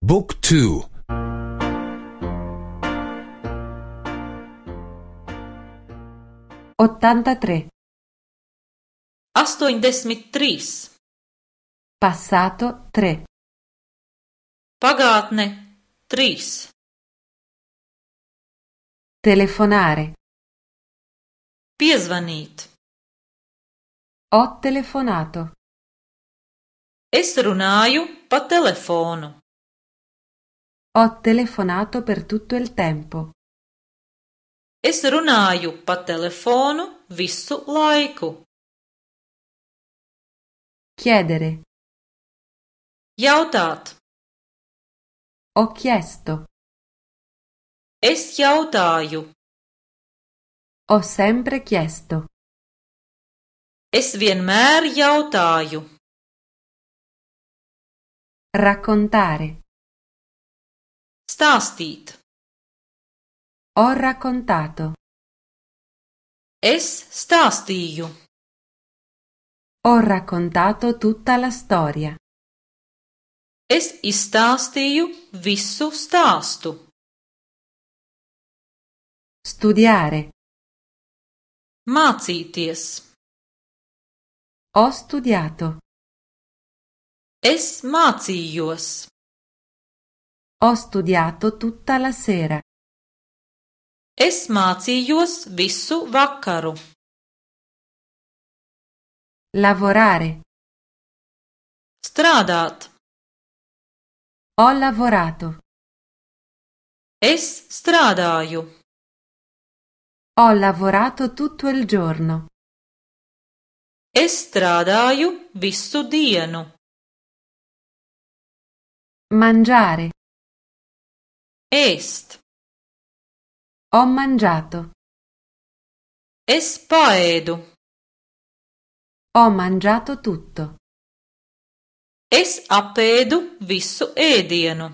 บุ๊กทู83 83. passato 3 Pagātne 3. telefonare Piezvanīt. ho telefonato Es runāju pa telefonu. ho telefonato per tutto il tempo Es runāju pa telefonu visu laiku. chiedere Jautāt. ho chiesto Es jautāju. ho sempre chiesto Es vienmēr jautāju. raccontare Stāstīt. ho raccontato Es stāstīju. ho raccontato tutta la storia Es izstāstīju visu stāstu. studiare Mācīties. ho studiato Es mācījos. ho studiato tutta la sera Es mācījos visu vakaru. lavorare Strādāt. ho lavorato Es strādāju. ho lavorato tutto il giorno Es strādāju visu dienu. mangiare Ēst. ho mangiato Es paēdu. ho mangiato tutto Es apēdu visu ēdienu.